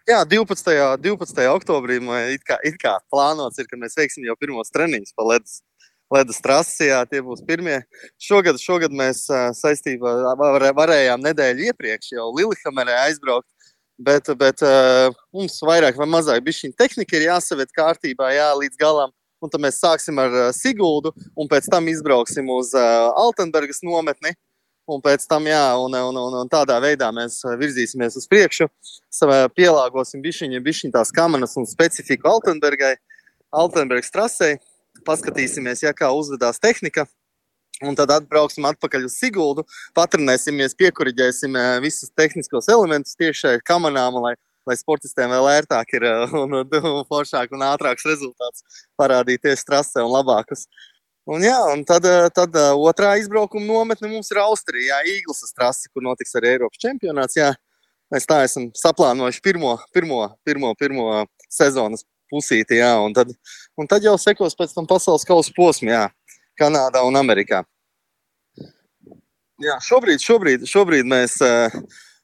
Jā, 12. oktobrī it kā plānots ir, ka mēs veiksim jau pirmos treniņus pa ledus trasi, jā, tie būs pirmie. Šogad mēs saistībā varējām nedēļu iepriekš jau Lillehammerē aizbraukt, bet mums vairāk vai mazāk bišķiņ tehnika ir jāsaviet kārtībā, jā, līdz galam. Un tad mēs sāksim ar Siguldu un pēc tam izbrauksim uz Altenbergas nometni. Un pēc tam, jā, un tādā veidā mēs virzīsimies uz priekšu, pielāgosim bišķiņ tās kamanas un specifiku Altenbergas trasei, paskatīsimies, ja kā uzvedās tehnika, un tad atbrauksim atpakaļ uz Siguldu, patrenēsimies, piekuriģēsim visus tehniskos elementus tieši šai kamanām, lai sportistiem vēl ērtāk ir un foršāk un ātrāks rezultāts parādīties trasē un labākus. Un jā, un tad otrā izbraukuma nometne mums ir Austrijā, Īglasas trasi, kur notiks arī Eiropas čempionāts, jā. Mēs tā esam saplānojuši pirmo sezonas pusīti, jā, un tad jau sekos pēc tam pasaules kausa posmi, jā, Kanādā un Amerikā. Jā, šobrīd mēs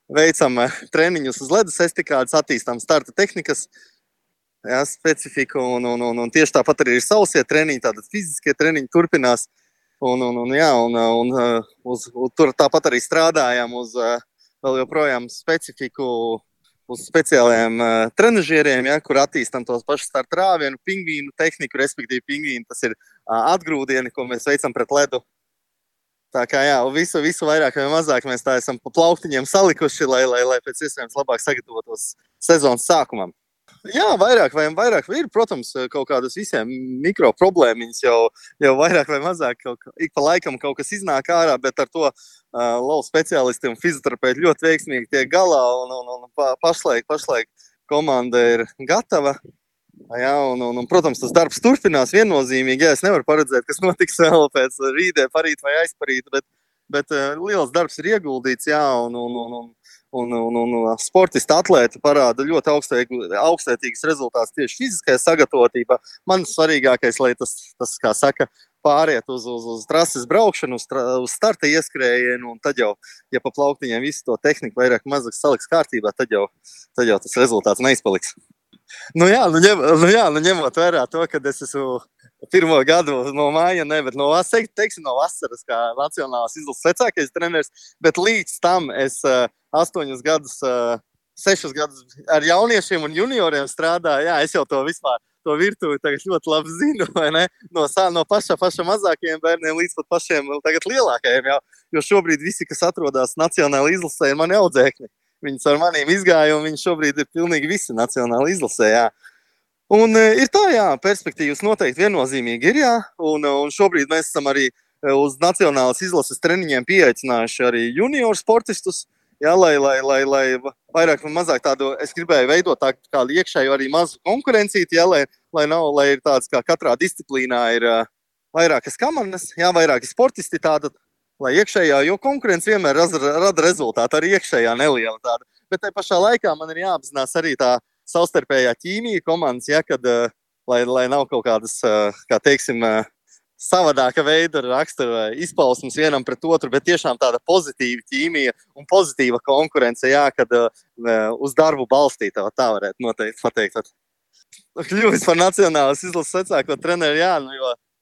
veicam treniņus uz ledus estikādes, attīstām starta tehnikas, jā, specifiku, un tieši tāpat arī ir sausie treniņi, tātad fiziskie treniņi turpinās, tur tāpat arī strādājam uz vēl joprojām specifiku, uz speciālajiem trenažieriem, ja, kur attīstam tos pašus starta rāvienu, pingvīnu tehniku, respektīvi pingvīnu, tas ir atgrūdieni, ko mēs veicam pret ledu. Tā kā jā, visu vairāk vai mazāk mēs tā esam pa plauktiņiem salikuši, lai pēc iespējams labāk sagatavotos sezonas sākumam. Jā, vairāk ir, protams, kaut kādas visiem mikro problēmiņas jau vairāk vai mazāk ik pa laikam kaut kas iznāk ārā, bet ar to lauku speciālisti un fizioterapeiti ļoti veiksmīgi tiek galā un pašlaik komanda ir gatava. Jā, un, protams, tas darbs turpinās viennozīmīgi. Jā, es nevaru paredzēt, kas notiks vēl pēc rītdien, parīt vai aizparīt, bet liels darbs ir ieguldīts, jā, un sportisti atlēti parāda ļoti augstvērtīgas rezultātus tieši fiziskajā sagatavotībā. Man svarīgākais, lai tas kā saka, pāriet uz trases braukšanu, uz starta ieskrējienu, un tad jau, ja pa plauktiņiem visu to tehniku vairāk mazāk saliks kārtībā, tad jau tas rezultāts neizpaliks. Ņemot vērā to, ka es esmu pirmo gadu no māja, bet no vasaras kā nacionālās izlases vecākais treneris, bet līdz tam es 6 gadus ar jauniešiem un junioriem strādāju. Jā, es jau to virtuvi tagad ļoti labi zinu, vai ne? No paša mazākajiem bērniem līdz pat pašiem tagad lielākajiem, jo šobrīd visi, kas atrodas nacionāla izlasē, ir mani audzēkņi. Viņus ar maniem izgāja, un viņi šobrīd ir pilnīgi visi nacionāla izlasē, jā. Un ir tā, jā, perspektīvas noteikti viennozīmīgi ir, jā, un šobrīd mēs esam arī uz nacionālas izlases treniņiem pieaicinājuši arī junior sportistus, jā, lai vairāk un mazāk tādu, es gribēju veidot kādu iekšēju arī mazu konkurencīti, jā, lai ir tāds, kā katrā disciplīnā ir vairākas kamanas, jā, vairāki sportisti tāda, lai iekšējā, jo konkurence vienmēr rada rezultātu, arī iekšējā neliela tāda. Bet tai pašā laikā man ir jāapzinās arī tā savstarpējā ķīmija komandas, ja, kad, lai nav kaut kādas, kā teiksim, savādāka veida rakstura izpausmes vienam pret otru, bet tiešām tāda pozitīva ķīmija un pozitīva konkurence, jā, kad uz darbu balstīta, tā varētu noteikti pateikt. Kļuvis par nacionālas izlases vecāko treneru, jā,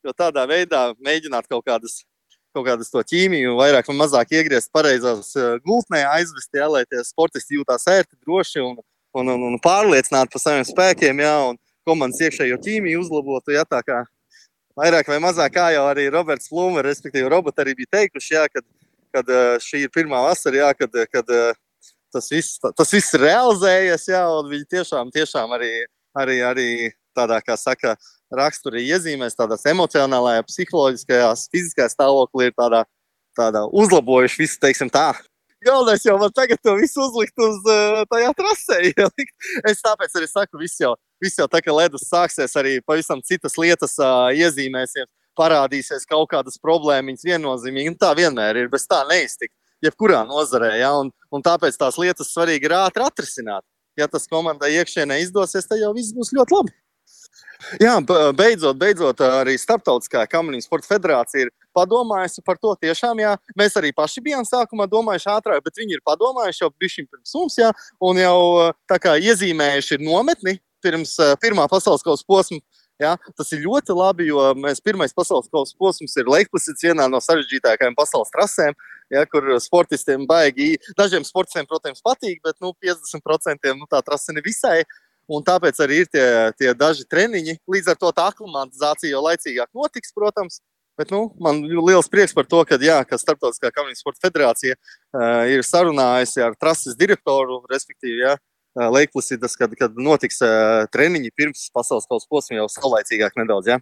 jo tādā veidā mēģināt kaut kādas to ķīmiju, vairāk vai mazāk iegriezt pareizās gultnē, aizvest, jā, lai tie sportisti jūtās ērti, droši un pārliecināti par saviem spēkiem, jā, un komandas iekšējo ķīmiju uzlabotu, jā, tā kā vairāk vai mazāk, kā jau arī Roberts Plumer, respektīvi Robert arī bija teikuši, jā, kad šī ir pirmā vasara, jā, kad tas viss realizējies, jā, un viņi tiešām arī tādā, kā saka, raksturī iezīmēs, tādās emocionālajā, psiholoģiskajās, fiziskajā stāvoklī ir tādā uzlabojuši visu, teiksim tā. Galvenais jau var tagad to visu uzlikt uz tajā trasē ielikt. Es tāpēc arī saku, viss jau tā, ka ledus sāksies, arī pavisam citas lietas iezīmēsies, parādīsies kaut kādas problēmiņas viennozīmīgi, un tā vienmēr ir, bez tā neiztikt, jebkurā nozarē, ja, un tāpēc tās lietas svarīgi ir ātri atrisināt. Ja tas komandai iekšienē izdosies, tad jau viss būs ļoti labi. Jā, beidzot arī Starptautiskā kamaniņu sporta federācija ir padomājusi par to tiešām, jā. Mēs arī paši bijām sākumā domājuši ātrāk, bet viņi ir padomājuši jau bišķiņ pirms mums, jā, un jau tā kā iezīmējuši ir nometni pirms pirmā pasaules kausa posma. Ja, tas ir ļoti labi, jo pirmais pasaules kausa posms ir Leikplisīds, vienā no sarežģītākajām pasaules trasēm, ja, kur sportistiem baigi, dažiem sportistiem, protams, patīk, bet 50% tā trase nevisai. Un tāpēc arī ir tie daži treniņi. Līdz ar to tā aklimatizācija jau laicīgāk notiks, protams. Bet man liels prieks par to, ka Starptautiskā kamaniņu sporta federācija ir sarunājusi ar trases direktoru, respektīvi, ja, Leikplisīdas, kad notiks treniņi pirms pasaules kausa posma jau saulaicīgāk nedaudz. Ja.